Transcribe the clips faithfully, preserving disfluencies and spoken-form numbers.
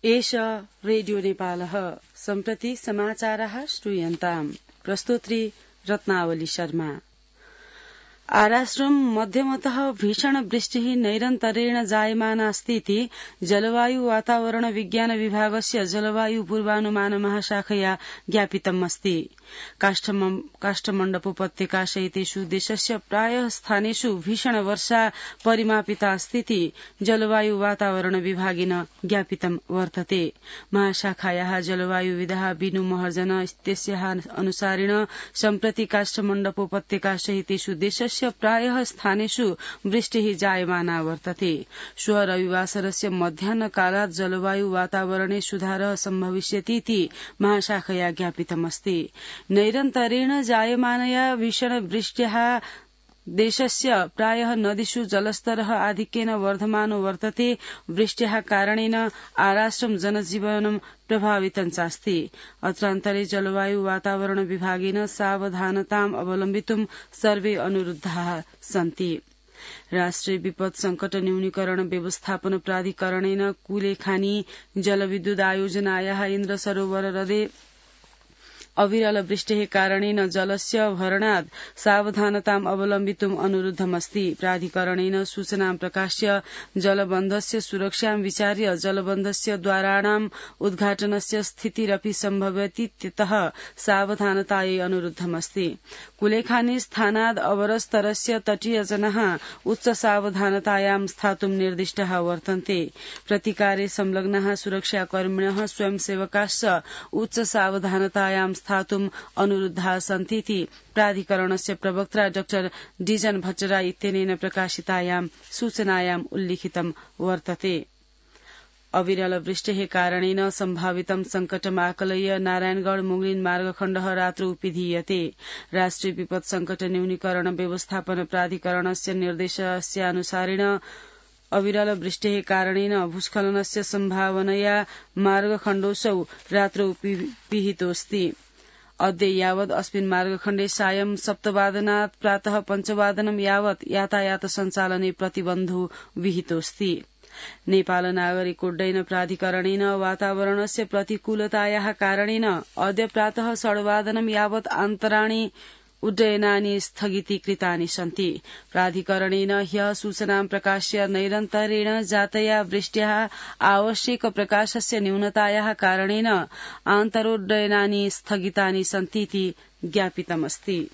एष रेडियो नेपालः सम्प्रति समाचारः श्रूयन्ताम्। प्रस्तोत्री रत्नावली शर्मा। आराश्रम मध्यमतः भीषण वृष्टिः नैरन्तरेण जायमानास्ति इति जलवायु वातावरण विज्ञान विभागस्य जलवायु पूर्वानुमान महाशाखया ज्ञापितम् अस्ति। काष्ठमण्डपोपत्यका सहितेषु देशस्य प्रायः स्थानेषु भीषण वर्षा परिमापिता अस्ति इति जलवायु वातावरण विभागेन ज्ञापितं वर्तते। महाशाखायाः जलवायुविदः बिनु महर्जन इत्यस्याः अनुसारेण सम्प्रति काष्ठमण्डपोपत्यका सहितेषु देशस्य प्रायः स्थानेषु वृष्टिः जायमाना वर्तते। श्वः रविवासरस्य मध्याह्नकालात् जलवायु वातावरणे सुधारः सम्भविष्यति इति महाशाखया ज्ञापितमस्ति। नैरन्तरेण जायमानया भीषण वृष्ट्याः देशस्य प्रायः नदीषु जलस्तरः आधिक्येन वर्धमानो वर्तते। वृष्ट्याः कारणेन आराश्रम जनजीवनं प्रभावितं चास्ति। अत्रान्तरे जलवायु वातावरण विभागेन सावधानताम् अवलम्बितुं सर्वे अनुरुद्धाः सन्ति। राष्ट्रिय विपद संकट न्यूनीकरण व्यवस्थापन प्राधिकरणेन कुलेखानी जलविद्युत आयोजनायाः इन्द्र सरोवर हृदे अविरल वृष्टेः कारणेन जलस्य भरणात् सावधानताम् अवलम्बितुम् अनुरुद्धमस्ति। प्राधिकरणेन सूचनां प्रकाश्य जलबन्धस्य सुरक्षां विचार्य जलबन्धस्य द्वाराणाम् उद्घाटनस्य स्थितिरपि सम्भवतीत्यतः सावधानतायै अनुरुद्धमस्ति। कुलेखानी स्थानाद् अवरस्तरस्य तटीयजनाः उच्च सावधानतायां स्थातुं निर्दिष्टाः वर्तन्ते। प्रतिकारे संलग्नाः सुरक्षाकर्मिणः स्वयंसेवकाश्च उच्च सावधानतायां स्थातुम् अनुरुद्धाः सन्ति इति प्राधिकरणस्य प्रवक्ता डाक्टर डीजन भट्टराई इत्यनेन प्रकाशितायां सूचनायाम् उल्लिखितं वर्तते। अविरल वृष्टेः कारणेन सम्भावितं सङ्कटम् आकलय्य नारायणगढ़ मुंगलिन मार्गखण्डः रात्रौ पिधीयते। राष्ट्रिय विपद संकट न्यूनीकरण व्यवस्थापन प्राधिकरणस्य निर्देशस्यानुसारेण अविरल वृष्टेः कारणेन भूस्खलनस्य सम्भावनया मार्गखण्डोऽसौ रात्रौ पिहितोऽस्ति। अद्य यावत् अस्मिन् मार्गखण्डे सायं सप्तवादनात् प्रातः पञ्चवादनं यावत् यातायात सञ्चालने प्रतिबन्धो विहितोऽस्ति। नेपाल नागरिक उड्डयन प्राधिकरणेन वातावरणस्य प्रतिकूलतायाः कारणेन अद्य प्रातः षड्वादनं यावत् आन्तराणि उड्डयनानि स्थगितीकृतानि सन्ति। प्राधिकरणेन ह्यः सूचनां प्रकाश्य नैरन्तरेण जातया वृष्ट्याः आवश्यक प्रकाशस्य न्यूनतायाः कारणेन आन्तरोड्डयनानि स्थगितानि सन्ति इति ज्ञापितमस्ति।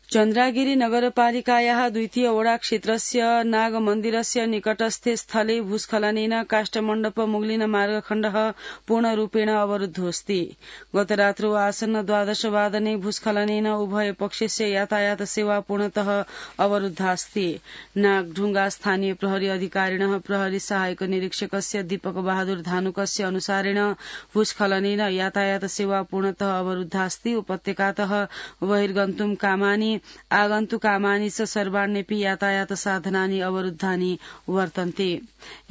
चन्द्रागिरी नगरपालिकायाः द्वितीय वडा क्षेत्रस्य नागमन्दिरस्य निकटस्थे स्थले भूस्खलनेन काष्ठमण्डप मुगलिन मार्गखण्डः पूर्णरूपेण अवरुद्धोऽस्ति। गतरात्रौ आसन्न द्वादशवादने भूस्खलनेन उभय पक्षस्य यातायात सेवा पूर्णतः अवरुद्धास्ति। नागढुंगा स्थानीय प्रहरी अधिकारिणः प्रहरी सहायक निरीक्षकस्य दीपक बहादुर धानुकस्य अनुसारेण भूस्खलनेन यातायात सेवा पूर्णतः अवरुद्धास्ति। उपत्यकातः बहिर्गन्तुं कामानि आगन्तुकामानि च सर्वाण्यपि यातायात साधनानि अवरुद्धानि वर्तन्ते।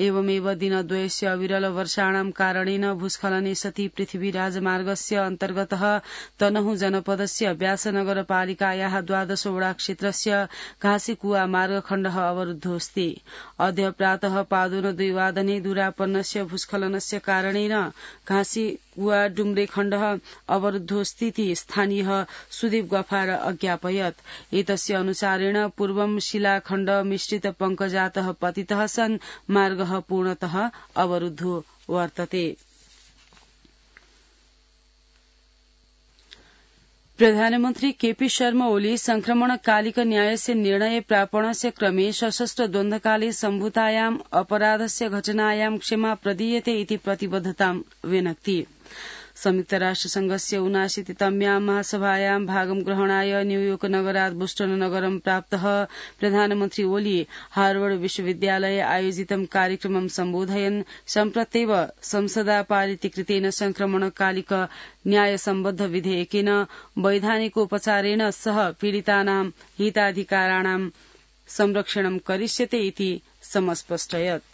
एवमेव दिनद्वयस्य अविरल वर्षाणां कारणेन भूस्खलने सति पृथ्वी राजमार्गस्य अन्तर्गतः तनहु जनपदस्य व्यासनगरपालिकायाः द्वादश वडा क्षेत्रस्य घाँसीकुवा मार्गखण्डः अवरुद्धोऽस्ति। अद्य प्रातः पादोन द्विवादने दूरापन्नस्य भूस्खलनस्य कारणेन घाँसीकुवा डुम्रे खण्डः अवरुद्धोऽस्तीति स्थानीयः सुदीप गफार अज्ञापयत्। एतस्य अनुसारेण पूर्वं शिलाखण्ड मिश्रित पंकजातः पतितः सन् मार्गः पूर्णतः अवरुद्धो वर्तते। प्रधानमन्त्री केपी शर्मा ओली संक्रमणकालिक न्यायस्य निर्णय प्रापणस्य क्रमे सशस्त्र द्वन्द्वकाले सम्भूतायाम् अपराधस्य घटनायां क्षमा प्रदीयते इति प्रतिबद्धतां व्यनक्ति। संयुक्त राष्ट्र संघस्य ऊनाशीतितम्यां महासभायां भागं ग्रहणाय न्यूयोर्क नगरात् बोस्टन नगरं प्राप्तः प्रधानमन्त्री ओली हार्वर्ड विश्वविद्यालये आयोजितं कार्यक्रमं सम्बोधयन् सम्प्रत्येव संसदा पारितीकृतेन संक्रमणकालिक न्यायसम्बद्ध विधेयकेन वैधानिकोपचारेण सह पीडितानां हिताधिकाराणां संरक्षणं करिष्यते इति समस्पष्टयत्।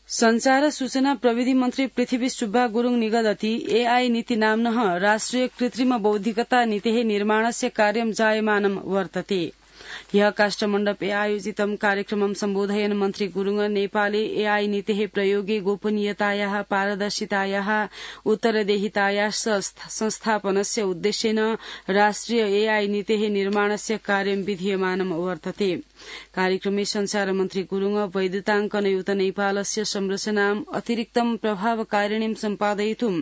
संचार सूचना प्रविधि मन्त्री पृथ्वी सुब्बा गुरुङ निगदति एआई नीति नाम्नः राष्ट्रिय कृत्रिम बौद्धिकता नीतेः निर्माणस्य कार्यं जायमानं वर्तते। ह्यः काष्ठमण्डपे आयोजितं कार्यक्रमं सम्बोधयन् मन्त्री गुरुङ नेपाले एआई नीतेः प्रयोगे गोपनीयतायाः पारदर्शितायाः उत्तरदेहितायाः संस्थापनस्य उद्देश्येन राष्ट्रिय एआई नीतेः निर्माणस्य कार्यं विधीयमानं वर्तते। कार्यक्रमे संचार मन्त्री गुरुङ वैद्युताङ्कनयुत नेपालस्य संरचनाम् अतिरिक्तं प्रभावकारिणीं सम्पादयितुं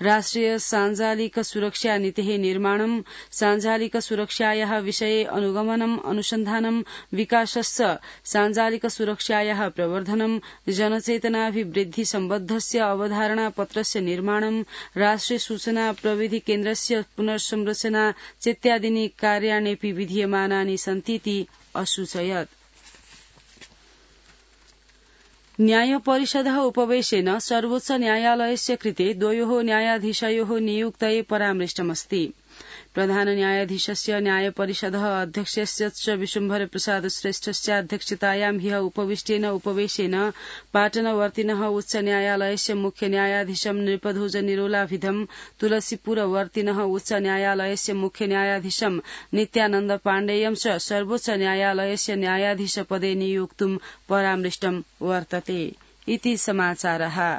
राष्ट्रिय साञ्जालिक सुरक्षा नीतेः निर्माणं साञ्जालिक सुरक्षायाः विषये अनुगमनम् अनुसन्धानं विकासश्च साञ्जालिक सुरक्षायाः प्रवर्धनं जनचेतनाभिवृद्धि सम्बद्धस्य अवधारणापत्रस्य निर्माणं राष्ट्रिय सूचना प्रविधि केन्द्रस्य पुनर्संरचना चेत्यादीनि कार्याण्यपि विधीयमानानि सन्तीति असूचयत्। न्यायपरिषदः उपवेशेन सर्वोच्च न्यायालयस्य कृते द्वयोः न्यायाधीशयोः नियुक्तये परामृष्टमस्ति। प्रधान न्यायाधीशस्य न्यायपरिषदः अध्यक्षस्य च विश्वम्भर प्रसाद श्रेष्ठस्य अध्यक्षतायां ह्यः उपविष्टेन उपवेशेन पाटनवर्तिनः उच्च न्यायालयस्य मुख्य न्यायाधीशं नृपध्वज निरोलाभिधं तुलसीपुरवर्तिनः उच्च न्यायालयस्य मुख्य न्यायाधीशं नित्यानन्द पाण्डेयं च सर्वोच्च न्यायालयस्य न्यायाधीशपदे नियोक्तुं परामृष्टं वर्तते। इति समाचारः।